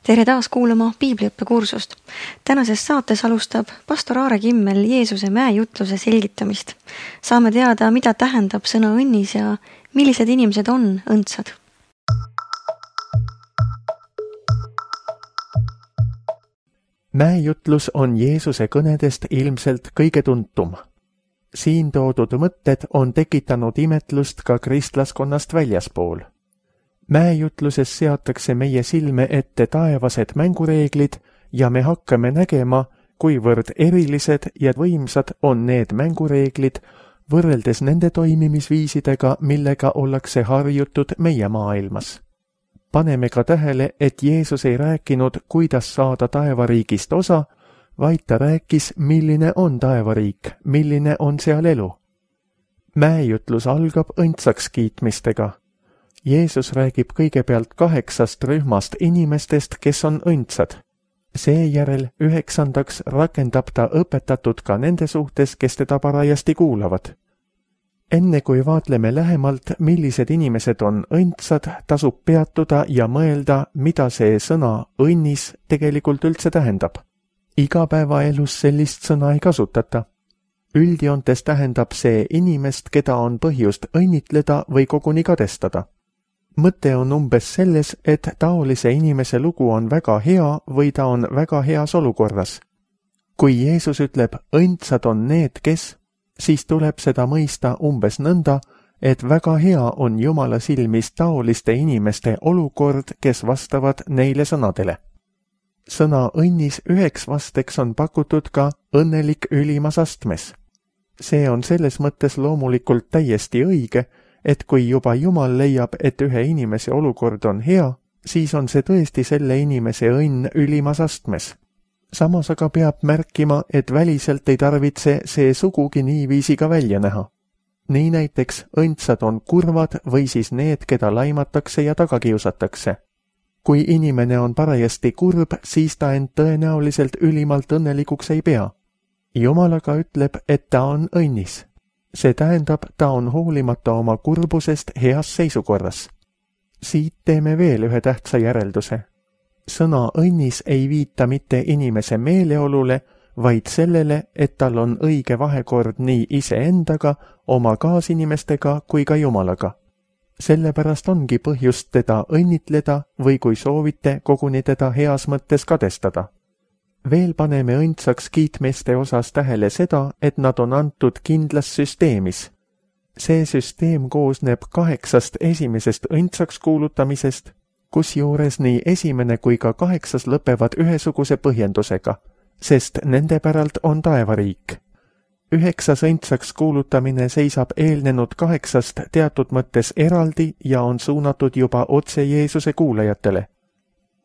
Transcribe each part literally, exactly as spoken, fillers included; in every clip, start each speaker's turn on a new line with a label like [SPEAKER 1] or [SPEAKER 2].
[SPEAKER 1] Tere taas kuulama piibliõppekursust. Tänases saates alustab pastor Aare Kimmel Jeesuse mäejutluse selgitamist. Saame teada, mida tähendab sõna õnnis ja millised inimesed on õndsad.
[SPEAKER 2] Mäejutlus on Jeesuse kõnedest ilmselt kõige tuntum. Siin toodud mõtted on tekitanud imetlust ka kristlaskonnast väljaspool. Mäejutluses seatakse meie silme ette taevased mängureeglid ja me hakkame nägema, kuivõrd erilised ja võimsad on need mängureeglid võrreldes nende toimimisviisidega, millega ollakse harjutud meie maailmas. Paneme ka tähele, et Jeesus ei rääkinud, kuidas saada taevariigist osa, vaid ta rääkis, milline on taevariik, milline on seal elu. Mäejutlus algab õndsaks kiitmistega. Jeesus räägib kõigepealt kaheksast rühmast inimestest, kes on õndsad. Seejärel üheksandaks rakendab ta õpetatud ka nende suhtes, kes teda parajasti kuulavad. Enne kui vaatleme lähemalt, millised inimesed on õndsad, tasub peatuda ja mõelda, mida see sõna õnnis tegelikult üldse tähendab. Igapäevaelus sellist sõna ei kasutata. Üldjoontes tähendab see inimest, keda on põhjust õnnitleda või koguni kadestada. Mõte on umbes selles, et taolise inimese lugu on väga hea või ta on väga heas olukorras. Kui Jeesus ütleb, õndsad on need, kes, siis tuleb seda mõista umbes nõnda, et väga hea on Jumala silmis taoliste inimeste olukord, kes vastavad neile sõnadele. Sõna õnnis üheks vasteks on pakutud ka õnnelik ülimas astmes. See on selles mõttes loomulikult täiesti õige, et kui juba Jumal leiab, et ühe inimese olukord on hea, siis on see tõesti selle inimese õnn ülimas astmes. Samas aga peab märkima, et väliselt ei tarvitse see sugugi niiviisi ka välja näha. Nii näiteks õndsad on kurvad või siis need, keda laimatakse ja tagakiusatakse. Kui inimene on parajasti kurb, siis ta end tõenäoliselt ülimalt õnnelikuks ei pea. Jumal aga ütleb, et ta on õnnis. See tähendab, ta on hoolimata oma kurbusest heas seisukorras. Siit teeme veel ühe tähtsa järelduse. Sõna õnnis ei viita mitte inimese meeleolule, vaid sellele, et tal on õige vahekord nii iseendaga, oma kaasinimestega kui ka Jumalaga. Sellepärast ongi põhjust teda õnnitleda või kui soovite, koguni teda heas mõttes kadestada. Veel paneme õndsaks kiitmiste osas tähele seda, et nad on antud kindlas süsteemis. See süsteem koosneb kaheksast esimesest õndsaks kuulutamisest, kusjuures nii esimene kui ka kaheksas lõpevad ühesuguse põhjendusega, sest nende päralt on taevariik. Üheksas õndsaks kuulutamine seisab eelnenud kaheksast teatud mõttes eraldi ja on suunatud juba otse Jeesuse kuulajatele.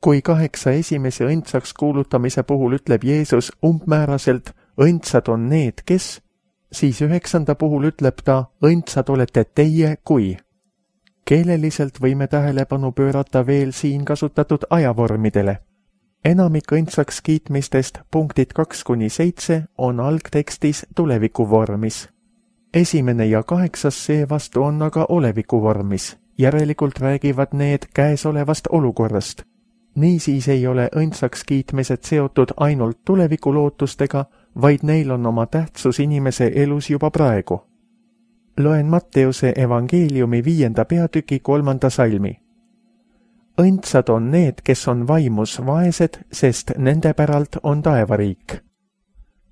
[SPEAKER 2] Kui kaheksa esimese õndsaks kuulutamise puhul ütleb Jeesus umbmääraselt, õndsad on need, kes, siis üheksanda puhul ütleb ta, õndsad olete teie kui. Keeleliselt võime tähelepanu pöörata veel siin kasutatud ajavormidele. Enamik õndsaks kiitmistest punktid kaks kuni seitse on algtekstis tulevikuvormis. Esimene ja kaheksas seevastu on aga olevikuvormis, järelikult räägivad need käesolevast olukorrast. Niisiis ei ole õndsaks kiitmised seotud ainult tulevikulootustega, vaid neil on oma tähtsus inimese elus juba praegu. Loen Matteuse evangeeliumi viienda peatüki kolmanda salmi. Õndsad on need, kes on vaimus vaesed, sest nende päralt on taevariik.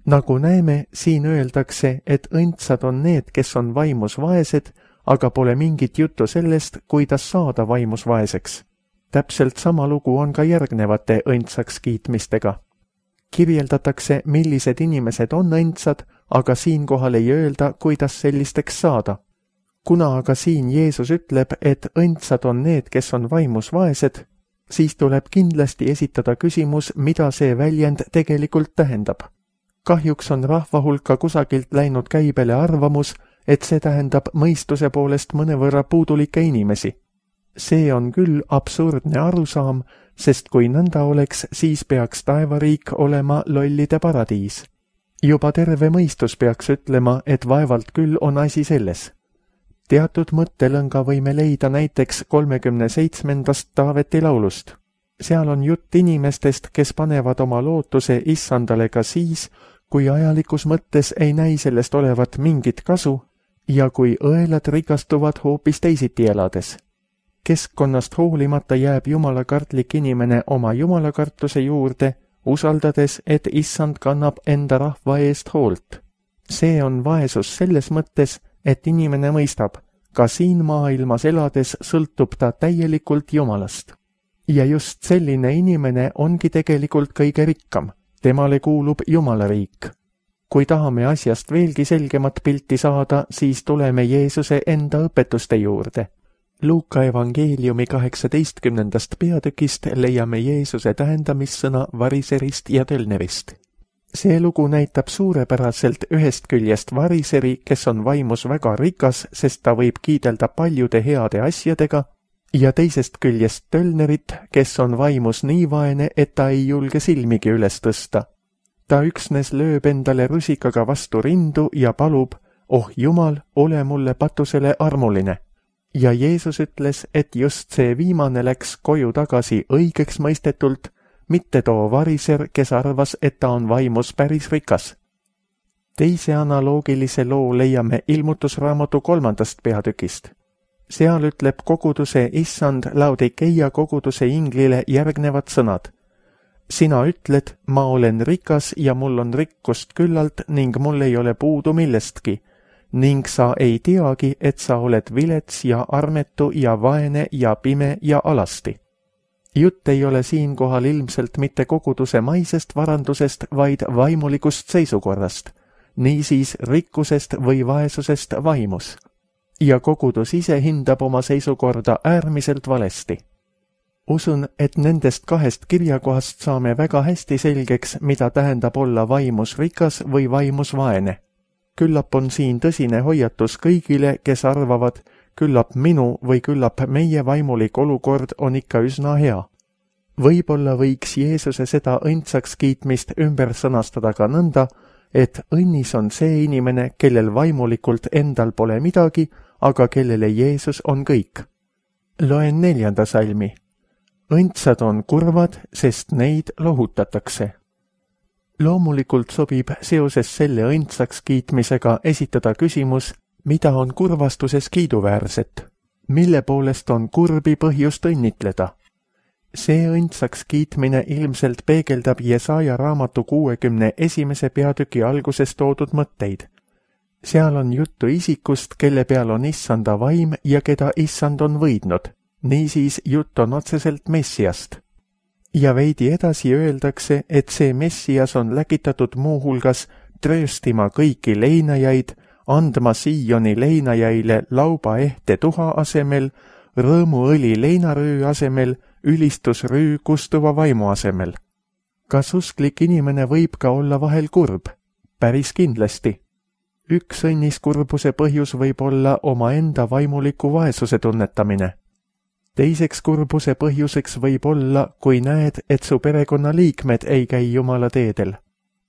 [SPEAKER 2] Nagu näeme, siin öeldakse, et õndsad on need, kes on vaimus vaesed, aga pole mingit juttu sellest, kuidas saada vaimus vaeseks. Täpselt sama lugu on ka järgnevate õndsaks kiitmistega. Kirjeldatakse, millised inimesed on õndsad, aga siinkohal ei öelda, kuidas sellisteks saada. Kuna aga siin Jeesus ütleb, et õndsad on need, kes on vaimus vaesed, siis tuleb kindlasti esitada küsimus, mida see väljend tegelikult tähendab. Kahjuks on rahva hulka kusagilt läinud käibele arvamus, et see tähendab mõistuse poolest mõnevõrra puudulikke inimesi. See on küll absurdne arusaam, sest kui nõnda oleks, siis peaks taevariik olema lollide paradiis. Juba terve mõistus peaks ütlema, et vaevalt küll on asi selles. Teatud mõttelõnga võime leida näiteks kolmekümne seitsmendast Taaveti laulust. seal on jutt inimestest, kes panevad oma lootuse issandale ka siis, kui ajalikus mõttes ei näi sellest olevat mingit kasu ja kui õelad rikastuvad hoopis teisiti elades. Keskkonnast hoolimata jääb jumalakartlik inimene oma jumalakartuse juurde, usaldades, et issand kannab enda rahva eest hoolt. See on vaesus selles mõttes, et inimene mõistab, ka siin maailmas elades sõltub ta täielikult Jumalast. Ja just selline inimene ongi tegelikult kõige rikkam. Temale kuulub Jumala riik. Kui tahame asjast veelgi selgemat pilti saada, siis tuleme Jeesuse enda õpetuste juurde. Luuka evangeeliumi kaheksateistkümnendast peatükist leiame Jeesuse tähendamissõna variserist ja tölnerist. See lugu näitab suurepäraselt ühest küljest variseri, kes on vaimus väga rikas, sest ta võib kiidelda paljude heade asjadega, ja teisest küljest tölnerit, kes on vaimus nii vaene, et ta ei julge silmigi üles tõsta. Ta üksnes lööb endale rusikaga vastu rindu ja palub, oh Jumal, ole mulle patusele armuline. Ja Jeesus ütles, et just see viimane läks koju tagasi õigeks mõistetult, mitte too variser, kes arvas, et ta on vaimus päris rikas. Teise analoogilise loo leiame Ilmutusraamatu kolmandast peatükist. Seal ütleb koguduse issand Laodikeia koguduse inglile järgnevad sõnad. Sina ütled, ma olen rikas ja mul on rikkust küllalt ning mul ei ole puudu millestki, ning sa ei teagi, et sa oled vilets ja armetu ja vaene ja pime ja alasti. Jutt ei ole siinkohal ilmselt mitte koguduse maisest varandusest, vaid vaimulikust seisukorrast, niisiis rikkusest või vaesusest vaimus. Ja kogudus ise hindab oma seisukorda äärmiselt valesti. Usun, et nendest kahest kirjakohast saame väga hästi selgeks, mida tähendab olla vaimus rikas või vaimus vaene. Küllap on siin tõsine hoiatus kõigile, kes arvavad, küllap minu või küllap meie vaimulik olukord on ikka üsna hea. Võib-olla võiks Jeesuse seda õndsaks kiitmist ümber sõnastada ka nõnda, et õnnis on see inimene, kellel vaimulikult endal pole midagi, aga kellele Jeesus on kõik. Loen neljanda salmi. Õndsad on kurvad, sest neid lohutatakse. Loomulikult sobib seoses selle õndsaks kiitmisega esitada küsimus, mida on kurvastuses kiiduväärset, mille poolest on kurbi põhjust õnnitleda. See õndsaks kiitmine ilmselt peegeldab Jesaja raamatu kuuekümne esimese peatüki alguses toodud mõtteid. Seal on juttu isikust, kelle peal on issanda vaim ja keda issand on võidnud, niisiis jutt on otseselt Messiast. Ja veidi edasi öeldakse, et see Messias on läkitatud muuhulgas trööstima kõiki leinajaid, andma Sioni leinajaile lauba ehte tuha asemel, rõõmuõli leinaröö asemel, ülistusrüü kustuva vaimu asemel. Kas usklik inimene võib ka olla vahel kurb? Päris kindlasti. Üks õnnis kurbuse põhjus võib olla omaenda vaimuliku vaesuse tunnetamine. Teiseks kurbuse põhjuseks võib olla, kui näed, et su perekonnaliikmed ei käi Jumala teedel.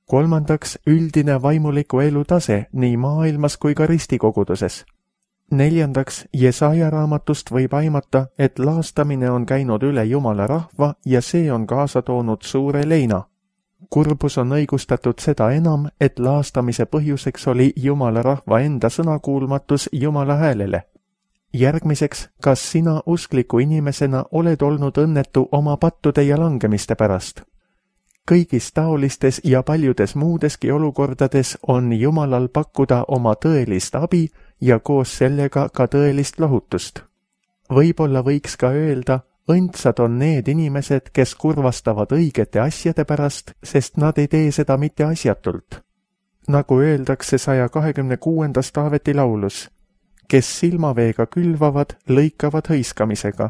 [SPEAKER 2] Kolmandaks, üldine vaimuliku elu tase nii maailmas kui ka ristikoguduses. Neljandaks, Jesaja raamatust võib aimata, et laastamine on käinud üle Jumala rahva ja see on kaasa toonud suure leina. Kurbus on õigustatud seda enam, et laastamise põhjuseks oli Jumala rahva enda sõnakuulmatus Jumala häälele. Järgmiseks, kas sina uskliku inimesena oled olnud õnnetu oma pattude ja langemiste pärast? Kõigis taolistes ja paljudes muudeski olukordades on Jumalal pakkuda oma tõelist abi ja koos sellega ka tõelist lohutust. Võib-olla võiks ka öelda, õndsad on need inimesed, kes kurvastavad õigete asjade pärast, sest nad ei tee seda mitte asjatult. Nagu öeldakse saja kahekümne kuuendas Taaveti laulus, kes silmaveega külvavad, lõikavad hõiskamisega,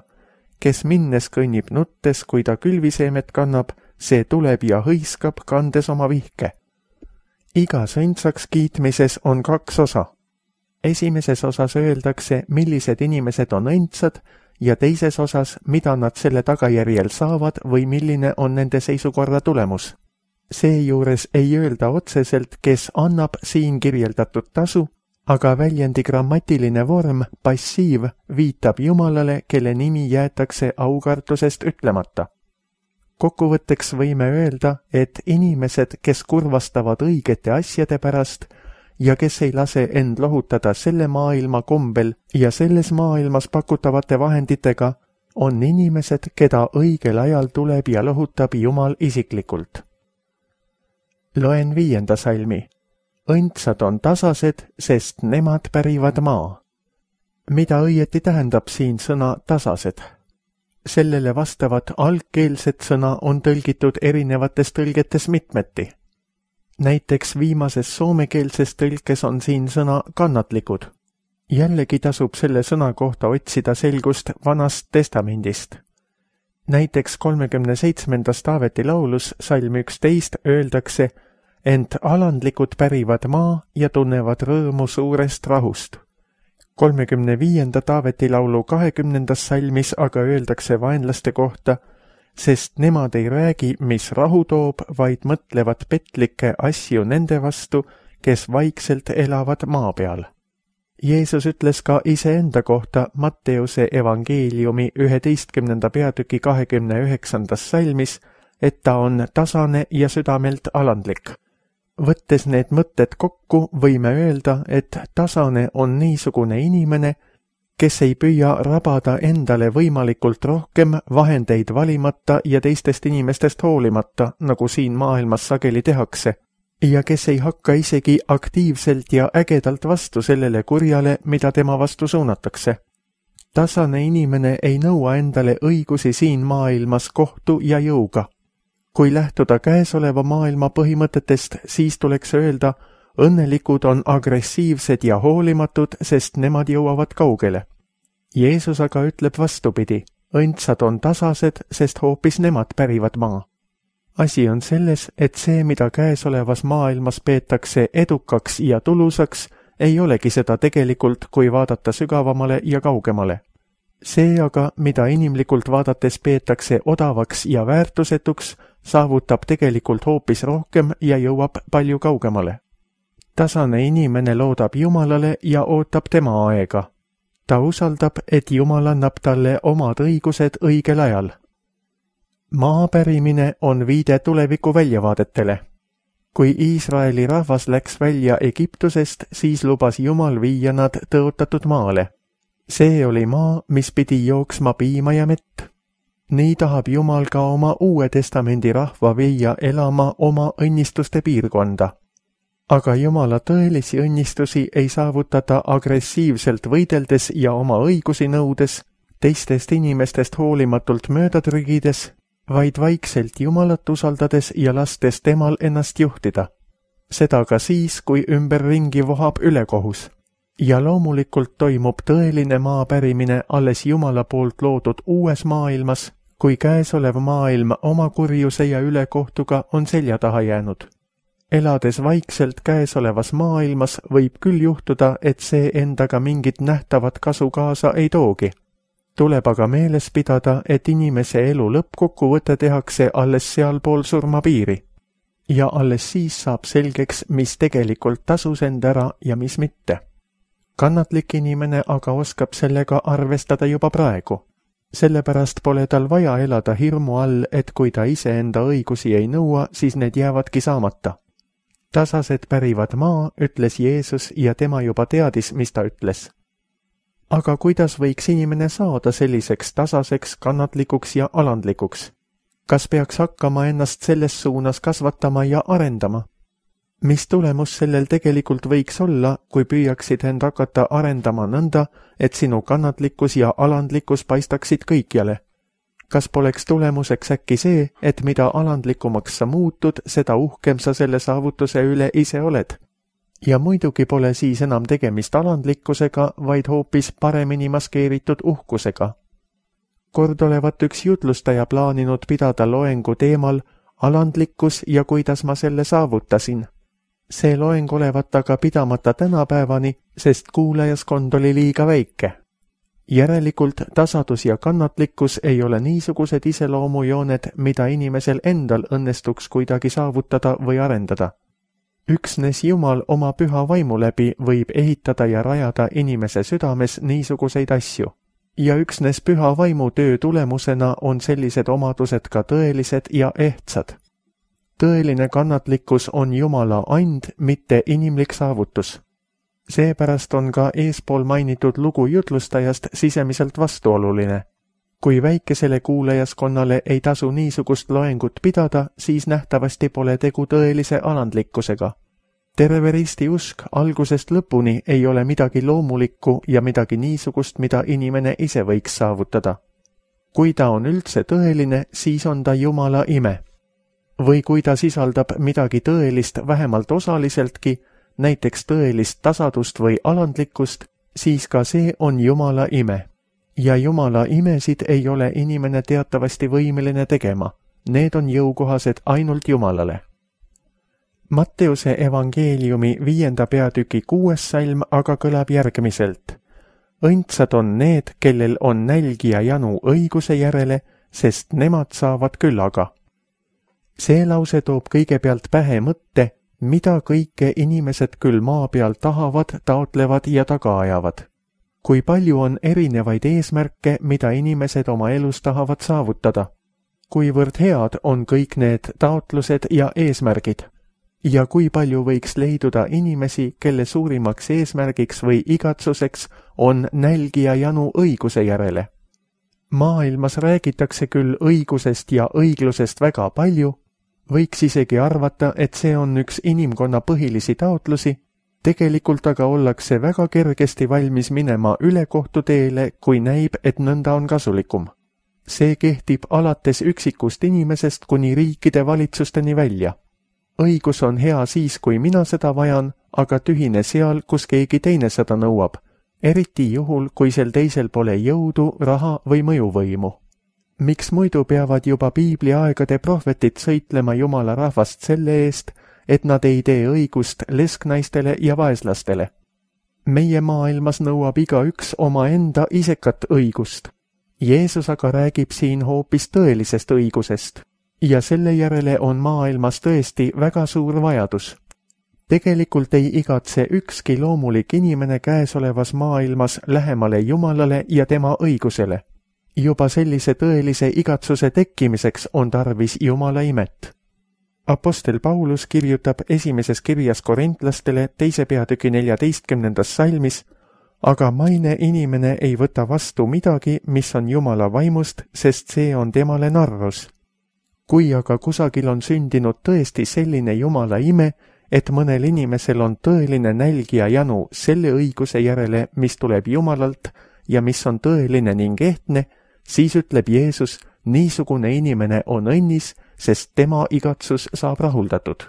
[SPEAKER 2] kes minnes kõnnib nuttes, kui ta külviseemet kannab, see tuleb ja hõiskab, kandes oma vihke. Igas õndsaks kiitmises on kaks osa. Esimeses osas öeldakse, millised inimesed on õndsad ja teises osas, mida nad selle tagajärjel saavad või milline on nende seisukorra tulemus. Seejuures ei öelda otseselt, kes annab siin kirjeldatud tasu, aga väljendi grammatiline vorm, passiiv, viitab Jumalale, kelle nimi jäetakse aukartusest ütlemata. Kokkuvõtteks võime öelda, et inimesed, kes kurvastavad õigete asjade pärast ja kes ei lase end lohutada selle maailma kombel ja selles maailmas pakutavate vahenditega, on inimesed, keda õigel ajal tuleb ja lohutab Jumal isiklikult. Loen viienda salmi. Õndsad on tasased, sest nemad pärivad maa. Mida õieti tähendab siin sõna tasased? Sellele vastavat algkeelset sõna on tõlgitud erinevates tõlgetes mitmeti. Näiteks viimases soomekeelses tõlkes on siin sõna kannatlikud. Jällegi tasub selle sõna kohta otsida selgust Vanast testamendist. Näiteks kolmekümne seitsmendas Taaveti laulus salm üksteist öeldakse, ent alandlikud pärivad maa ja tunnevad rõõmu suurest rahust. kolmekümne viienda Taaveti laulu kahekümnendas salmis aga öeldakse vaenlaste kohta, sest nemad ei räägi, mis rahu toob, vaid mõtlevad petlikke asju nende vastu, kes vaikselt elavad maa peal. Jeesus ütles ka iseenda kohta Matteuse evangeeliumi üheteistkümnenda peatüki kahekümne üheksandas salmis, et ta on tasane ja südamelt alandlik. Võttes need mõtted kokku, võime öelda, et tasane on niisugune inimene, kes ei püüa rabada endale võimalikult rohkem vahendeid valimata ja teistest inimestest hoolimata, nagu siin maailmas sageli tehakse, ja kes ei hakka isegi aktiivselt ja ägedalt vastu sellele kurjale, mida tema vastu suunatakse. Tasane inimene ei nõua endale õigusi siin maailmas kohtu ja jõuga. Kui lähtuda käesoleva maailma põhimõtetest, siis tuleks öelda, õnnelikud on agressiivsed ja hoolimatud, sest nemad jõuavad kaugele. Jeesus aga ütleb vastupidi, õndsad on tasased, sest hoopis nemad pärivad maa. Asi on selles, et see, mida käesolevas maailmas peetakse edukaks ja tulusaks, ei olegi seda tegelikult, kui vaadata sügavamale ja kaugemale. See aga, mida inimlikult vaadates peetakse odavaks ja väärtusetuks, saavutab tegelikult hoopis rohkem ja jõuab palju kaugemale. Tasane inimene loodab Jumalale ja ootab tema aega. Ta usaldab, et Jumal annab talle omad õigused õigel ajal. Maa pärimine on viide tuleviku väljavaadetele. Kui Iisraeli rahvas läks välja Egiptusest, siis lubas Jumal viia nad tõotatud maale. See oli maa, mis pidi jooksma piima ja mett. Nii tahab Jumal ka oma Uue Testamendi rahva viia elama oma õnnistuste piirkonda. Aga Jumala tõelisi õnnistusi ei saavutata agressiivselt võideldes ja oma õigusi nõudes, teistest inimestest hoolimatult mööda trügides, vaid vaikselt Jumalat usaldades ja lastes temal ennast juhtida. Seda ka siis, kui ümberringi vohab ülekohus. Ja loomulikult toimub tõeline maa pärimine alles Jumala poolt loodud uues maailmas, kui käesolev maailm oma kurjuse ja ülekohtuga on selja taha jäänud. Elades vaikselt käesolevas maailmas võib küll juhtuda, et see endaga mingit nähtavat kasu kaasa ei toogi. Tuleb aga meeles pidada, et inimese elu lõppkokkuvõte tehakse alles sealpool surmapiiri. Ja alles siis saab selgeks, mis tegelikult tasus end ära ja mis mitte. Kannatlik inimene aga oskab sellega arvestada juba praegu. Sellepärast pole tal vaja elada hirmu all, et kui ta ise enda õigusi ei nõua, siis need jäävadki saamata. Tasased pärivad maa, ütles Jeesus ja tema juba teadis, mis ta ütles. Aga kuidas võiks inimene saada selliseks tasaseks, kannatlikuks ja alandlikuks? Kas peaks hakkama ennast selles suunas kasvatama ja arendama? Mis tulemus sellel tegelikult võiks olla, kui püüaksid end hakata arendama nõnda, et sinu kannatlikkus ja alandlikkus paistaksid kõikjale? Kas poleks tulemuseks äkki see, et mida alandlikumaks sa muutud, seda uhkem sa selle saavutuse üle ise oled? Ja muidugi pole siis enam tegemist alandlikkusega, vaid hoopis paremini maskeeritud uhkusega. Kord olevat üks jutlustaja plaaninud pidada loengu teemal alandlikkus ja kuidas ma selle saavutasin. See loeng olevat aga pidamata tänapäevani, sest kuulajaskond oli liiga väike. Järelikult tasadus ja kannatlikkus ei ole niisugused iseloomujooned, mida inimesel endal õnnestuks kuidagi saavutada või arendada. Üksnes Jumal oma püha vaimu läbi võib ehitada ja rajada inimese südames niisuguseid asju. ja üksnes püha vaimu töö tulemusena on sellised omadused ka tõelised ja ehtsad. Tõeline kannatlikkus on Jumala and, mitte inimlik saavutus. Seepärast on ka eespool mainitud lugu jutlustajast sisemiselt vastuoluline. Kui väikesele kuulajaskonnale ei tasu niisugust loengut pidada, siis nähtavasti pole tegu tõelise alandlikkusega. Terve risti usk algusest lõpuni ei ole midagi loomulikku ja midagi niisugust, mida inimene ise võiks saavutada. Kui ta on üldse tõeline, siis on ta Jumala ime. Või kui ta sisaldab midagi tõelist vähemalt osaliseltki, näiteks tõelist tasadust või alandlikkust, siis ka see on Jumala ime. Ja Jumala imesid ei ole inimene teatavasti võimeline tegema. Need on jõukohased ainult Jumalale. Matteuse evangeeliumi viienda peatüki kuues salm aga kõlab järgmiselt. Õndsad on need, kellel on nälg ja janu õiguse järele, sest nemad saavad küllaga. See lause toob kõigepealt pähe mõtte, mida kõike inimesed küll maa peal tahavad, taotlevad ja taga ajavad. Kui palju on erinevaid eesmärke, mida inimesed oma elus tahavad saavutada. Kuivõrd head on kõik need taotlused ja eesmärgid. Ja kui palju võiks leiduda inimesi, kelle suurimaks eesmärgiks või igatsuseks on nälg ja janu õiguse järele. Maailmas räägitakse küll õigusest ja õiglusest väga palju, võiks isegi arvata, et see on üks inimkonna põhilisi taotlusi, tegelikult aga ollakse väga kergesti valmis minema ülekohtuteele, kui näib, et nõnda on kasulikum. See kehtib alates üksikust inimesest kuni riikide valitsusteni välja. Õigus on hea siis, kui mina seda vajan, aga tühine seal, kus keegi teine seda nõuab, eriti juhul, kui sel teisel pole jõudu, raha või mõjuvõimu. Miks muidu peavad juba piibli aegade prohvetid sõitlema Jumala rahvast selle eest, et nad ei tee õigust lesknaistele ja vaeslastele? Meie maailmas nõuab igaüks oma enda isekat õigust. Jeesus aga räägib siin hoopis tõelisest õigusest ja selle järele on maailmas tõesti väga suur vajadus. Tegelikult ei igatse ükski loomulik inimene käesolevas maailmas lähemale Jumalale ja tema õigusele. Juba sellise tõelise igatsuse tekkimiseks on tarvis Jumala imet. Apostel Paulus kirjutab esimeses kirjas korintlastele teise peatüki neljateistkümnendas salmis, aga maine inimene ei võta vastu midagi, mis on Jumala vaimust, sest see on temale narrus. Kui aga kusagil on sündinud tõesti selline Jumala ime, et mõnel inimesel on tõeline nälg ja janu selle õiguse järele, mis tuleb Jumalalt ja mis on tõeline ning ehtne, siis ütleb Jeesus, niisugune inimene on õnnis, sest tema igatsus saab rahuldatud.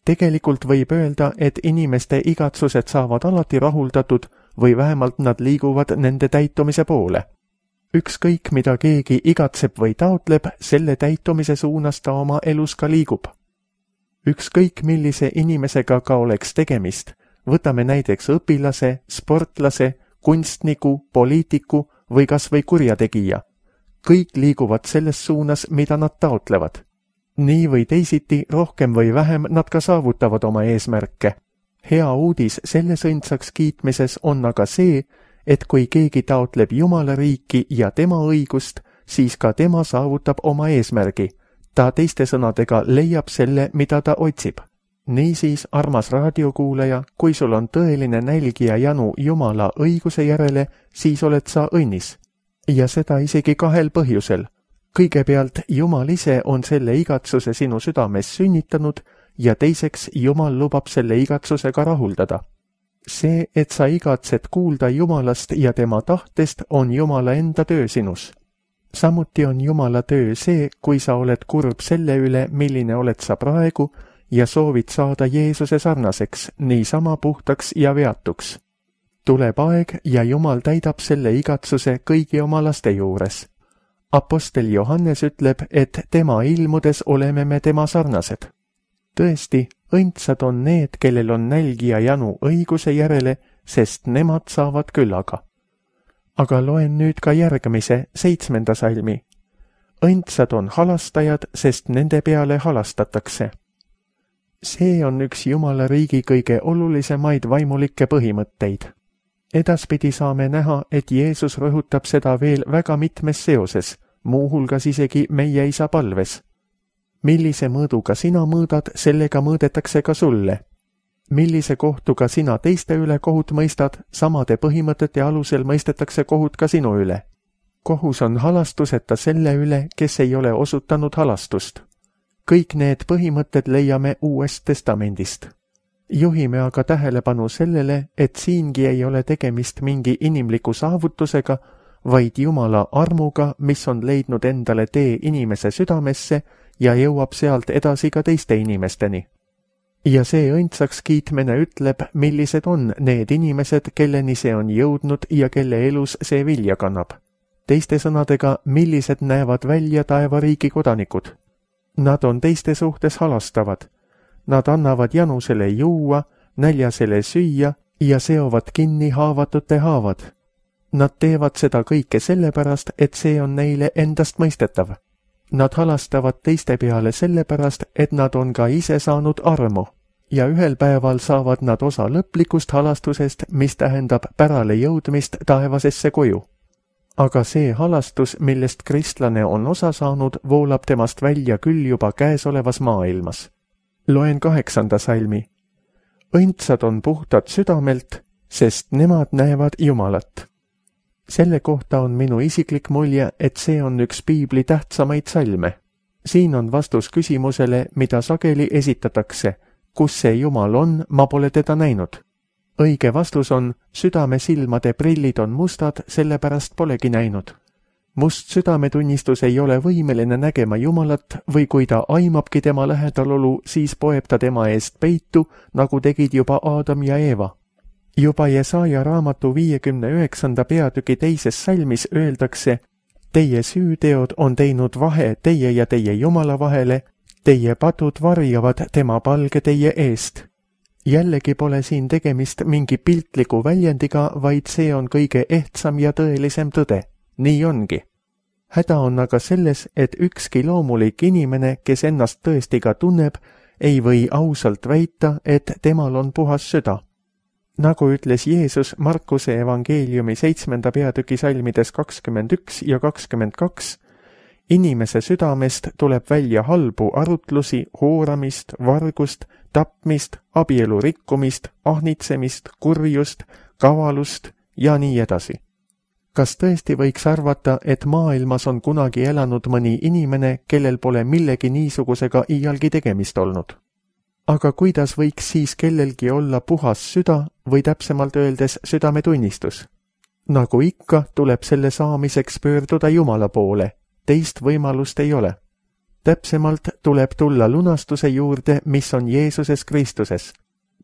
[SPEAKER 2] Tegelikult võib öelda, et inimeste igatsused saavad alati rahuldatud või vähemalt nad liiguvad nende täitumise poole. Ükskõik, mida keegi igatseb või taotleb, selle täitumise suunas ta oma elus ka liigub. Ükskõik, millise inimesega ka oleks tegemist, võtame näiteks õpilase, sportlase, kunstniku, poliitiku või kas või kurjategija. Kõik liiguvad selles suunas, mida nad taotlevad. Nii või teisiti, rohkem või vähem nad ka saavutavad oma eesmärke. Hea uudis selles õndsaks kiitmises on aga see, et kui keegi taotleb Jumala riiki ja tema õigust, siis ka tema saavutab oma eesmärgi. Ta teiste sõnadega leiab selle, mida ta otsib. Niisiis, armas raadiokuulaja, kui sul on tõeline nälg ja janu Jumala õiguse järele, siis oled sa õnnis. Ja seda isegi kahel põhjusel. Kõigepealt, Jumal ise on selle igatsuse sinu südames sünnitanud ja teiseks, Jumal lubab selle igatsusega rahuldada. See, et sa igatsed kuulda Jumalast ja tema tahtest, on Jumala enda töö sinus. Samuti on Jumala töö see, kui sa oled kurb selle üle, milline oled sa praegu ja soovid saada Jeesuse sarnaseks, niisama puhtaks ja veatuks. Tuleb aeg ja Jumal täidab selle igatsuse kõigi oma laste juures. Apostel Johannes ütleb, et tema ilmudes oleme me tema sarnased. Tõesti, õndsad on need, kellel on nälg ja janu õiguse järele, sest nemad saavad küllaga. Aga loen nüüd ka järgmise, seitsmenda salmi. Õndsad on halastajad, sest nende peale halastatakse. See on üks Jumala riigi kõige olulisemaid vaimulikke põhimõtteid. edaspidi saame näha, et Jeesus rõhutab seda veel väga mitmes seoses, muuhulgas isegi meie isa palves. Millise mõõduga sina mõõdad, sellega mõõdetakse ka sulle. Millise kohtuga sina teiste üle kohut mõistad, samade põhimõtete alusel mõistetakse kohut ka sinu üle. Kohus on halastuseta selle üle, kes ei ole osutanud halastust. Kõik need põhimõtted leiame Uuest Testamendist. Juhime aga tähelepanu sellele, et siingi ei ole tegemist mingi inimliku saavutusega, vaid Jumala armuga, mis on leidnud endale tee inimese südamesse ja jõuab sealt edasi ka teiste inimesteni. Ja see õndsaks kiitmine ütleb, millised on need inimesed, kelleni see on jõudnud ja kelle elus see vilja kannab. Teiste sõnadega, millised näevad välja taevariigi kodanikud. Nad on teiste suhtes halastavad. Nad annavad janusele juua, näljasele süüa ja seovad kinni haavatute haavad. Nad teevad seda kõike sellepärast, et see on neile endast mõistetav. Nad halastavad teiste peale sellepärast, et nad on ka ise saanud armu ja ühel päeval saavad nad osa lõplikust halastusest, mis tähendab pärale jõudmist taevasesse koju. Aga see halastus, millest kristlane on osa saanud, voolab temast välja küll juba käesolevas maailmas. Loen kaheksanda salmi. Õndsad on puhtad südamelt, sest nemad näevad Jumalat. Selle kohta on minu isiklik mulje, et see on üks piibli tähtsamaid salme. Siin on vastus küsimusele, mida sageli esitatakse. Kus see Jumal on, ma pole teda näinud. Õige vastus on, südame silmade prillid on mustad, sellepärast polegi näinud. Must südametunnistus ei ole võimeline nägema Jumalat või kui ta aimabki tema lähedalolu, siis poeb ta tema eest peitu, nagu tegid juba Aadam ja Eeva. Juba Jesaja raamatu viiekümne üheksanda peatüki teises salmis öeldakse, teie süüteod on teinud vahe teie ja teie Jumala vahele, teie patud varjavad tema palge teie eest. Jällegi pole siin tegemist mingi piltliku väljendiga, vaid see on kõige ehtsam ja tõelisem tõde. Nii ongi. Häda on aga selles, et ükski loomulik inimene, kes ennast tõesti ka tunneb, ei või ausalt väita, et temal on puhas süda. Nagu ütles Jeesus Markuse evangeeliumi seitsmenda peatüki salmides kakskümmend üks ja kakskümmend kaks, inimese südamest tuleb välja halbu arutlusi, hooramist, vargust, tapmist, abielu rikkumist, ahnitsemist, kurjust, kavalust ja nii edasi. Kas tõesti võiks arvata, et maailmas on kunagi elanud mõni inimene, kellel pole millegi niisugusega iialgi tegemist olnud? Aga kuidas võiks siis kellelgi olla puhas süda või täpsemalt öeldes südametunnistus? Nagu ikka, tuleb selle saamiseks pöörduda Jumala poole. Teist võimalust ei ole. Täpsemalt tuleb tulla lunastuse juurde, mis on Jeesuses Kristuses.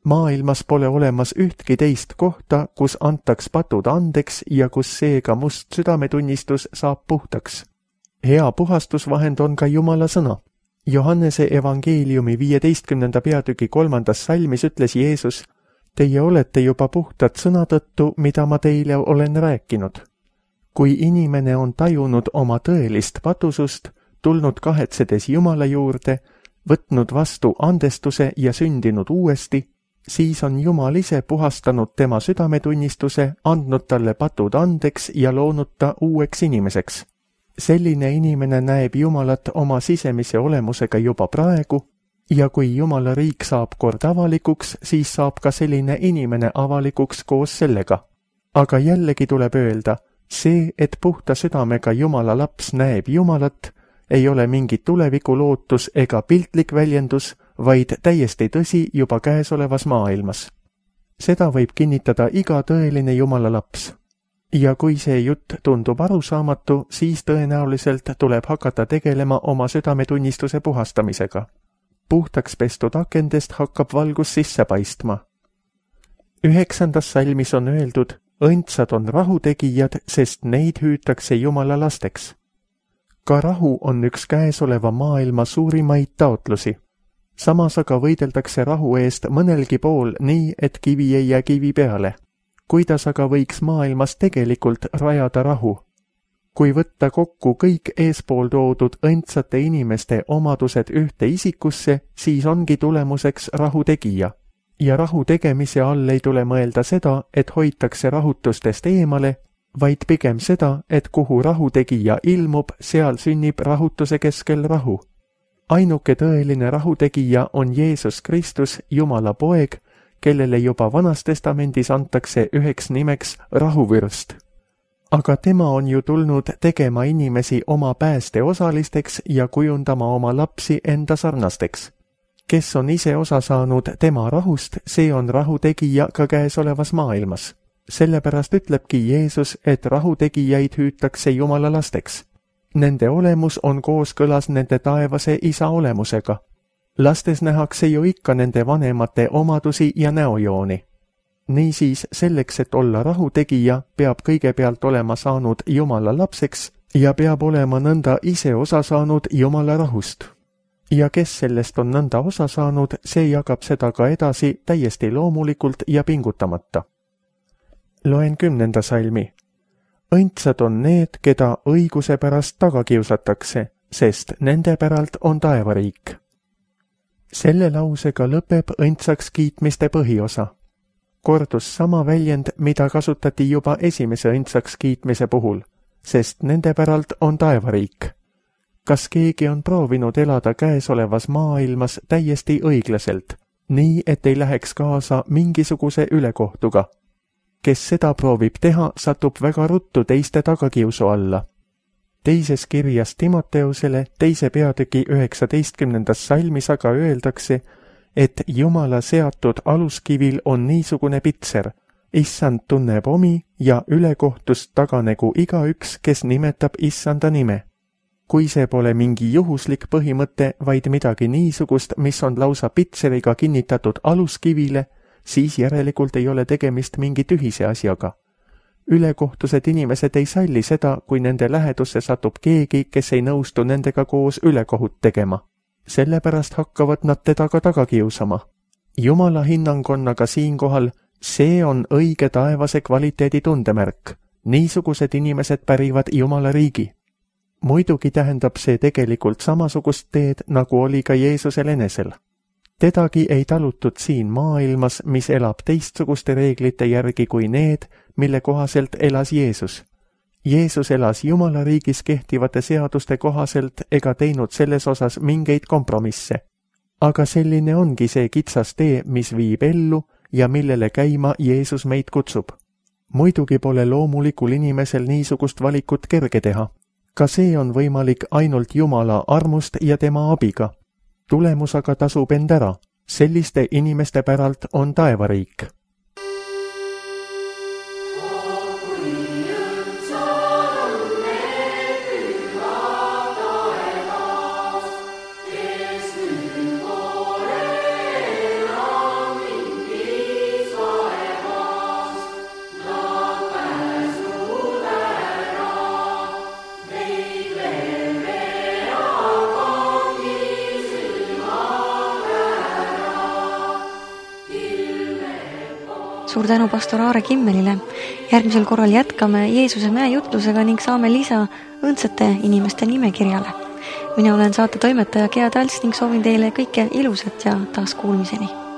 [SPEAKER 2] Maailmas pole olemas ühtki teist kohta, kus antaks patud andeks ja kus seega must südametunnistus saab puhtaks. Hea puhastusvahend on ka Jumala sõna. Johannese evangeeliumi viieteistkümnenda peatüki kolmandas salmis ütles Jeesus, teie olete juba puhtad sõna tõttu, mida ma teile olen rääkinud. Kui inimene on tajunud oma tõelist patusust, tulnud kahetsedes Jumala juurde, võtnud vastu andestuse ja sündinud uuesti, siis on Jumal ise puhastanud tema südametunnistuse, andnud talle patud andeks ja loonud ta uueks inimeseks. Selline inimene näeb Jumalat oma sisemise olemusega juba praegu ja kui Jumala riik saab kord avalikuks, siis saab ka selline inimene avalikuks koos sellega. Aga jällegi tuleb öelda, see, et puhta südamega Jumala laps näeb Jumalat, ei ole mingi tuleviku lootus ega piltlik väljendus, vaid täiesti tõsi juba käesolevas maailmas. Seda võib kinnitada iga tõeline Jumala laps. Ja kui see jutt tundub arusaamatu, siis tõenäoliselt tuleb hakata tegelema oma südametunnistuse puhastamisega. Puhtaks pestud akendest hakkab valgus sisse paistma. Üheksandas salmis on öeldud, õndsad on rahutegijad, sest neid hüütakse Jumala lasteks. Ka rahu on üks käesoleva maailma suurimaid taotlusi. Samas aga võideldakse rahu eest mõnelgi pool nii, et kivi ei jää kivi peale. Kuidas aga võiks maailmas tegelikult rajada rahu? Kui võtta kokku kõik eespool toodud õndsate inimeste omadused ühte isikusse, siis ongi tulemuseks rahutegija. ja rahu tegemise all ei tule mõelda seda, et hoitakse rahutustest eemale, vaid pigem seda, et kuhu rahutegija ilmub, seal sünnib rahutuse keskel rahu. Ainuke tõeline rahutegija on Jeesus Kristus, Jumala poeg, kellele juba Vanas Testamendis antakse üheks nimeks rahuvürst. Aga tema on ju tulnud tegema inimesi oma pääste osalisteks ja kujundama oma lapsi enda sarnasteks. Kes on ise osa saanud tema rahust, see on rahutegija ka käesolevas maailmas. Sellepärast ütlebki Jeesus, et rahutegijaid hüütakse Jumala lasteks. Nende olemus on kooskõlas nende taevase isa olemusega. Lastes nähakse ju ikka nende vanemate omadusi ja näojooni. Niisiis, selleks, et olla rahutegija, peab kõigepealt olema saanud Jumala lapseks ja peab olema nõnda ise osa saanud Jumala rahust. Ja kes sellest on nõnda osa saanud, see jagab seda ka edasi täiesti loomulikult ja pingutamata. Loen kümnenda salmi. Õndsad on need, keda õiguse pärast taga kiusatakse, sest nende päralt on taevariik. Selle lausega lõpeb õndsaks kiitmiste põhiosa. Kordus sama väljend, mida kasutati juba esimese õndsaks kiitmise puhul, sest nende päralt on taevariik. Kas keegi on proovinud elada käesolevas maailmas täiesti õiglaselt, nii et ei läheks kaasa mingisuguse ülekohtuga? Kes seda proovib teha, satub väga ruttu teiste tagakiusu alla. Teises kirjas Timoteusele teise peatüki üheksateistkümnendas salmis aga öeldakse, et Jumala seatud aluskivil on niisugune pitser, issand tunneb omi ja ülekohtust taganegu igaüks, kes nimetab issanda nime. Kui see pole mingi juhuslik põhimõte, vaid midagi niisugust, mis on lausa pitseriga kinnitatud aluskivile, siis järelikult ei ole tegemist mingi tühise asjaga. Ülekohtused inimesed ei salli seda, kui nende lähedusse satub keegi, kes ei nõustu nendega koos ülekohut tegema. Sellepärast hakkavad nad teda ka taga kiusama. Jumala hinnang on aga siinkohal, see on õige taevase kvaliteedi tundemärk. Niisugused inimesed pärivad Jumala riigi. Muidugi tähendab see tegelikult samasugust teed, nagu oli ka Jeesusel enesel. Tedagi ei talutud siin maailmas, mis elab teistsuguste reeglite järgi kui need, mille kohaselt elas Jeesus. Jeesus elas Jumala riigis kehtivate seaduste kohaselt ega teinud selles osas mingeid kompromisse. Aga selline ongi see kitsas tee, mis viib ellu ja millele käima Jeesus meid kutsub. Muidugi pole loomulikul inimesel niisugust valikut kerge teha. Ka see on võimalik ainult Jumala armust ja tema abiga. Tulemus aga tasub end ära. Selliste inimeste päralt on taevariik.
[SPEAKER 1] Suur tänu pastor Aare Kimmelile. Järgmisel korral jätkame Jeesuse mäe jutlusega ning saame lisa õndsate inimeste nimekirjale. Mina olen saate toimetaja Gea Talts ning soovin teile kõike ilusat ja taas kuulmiseni.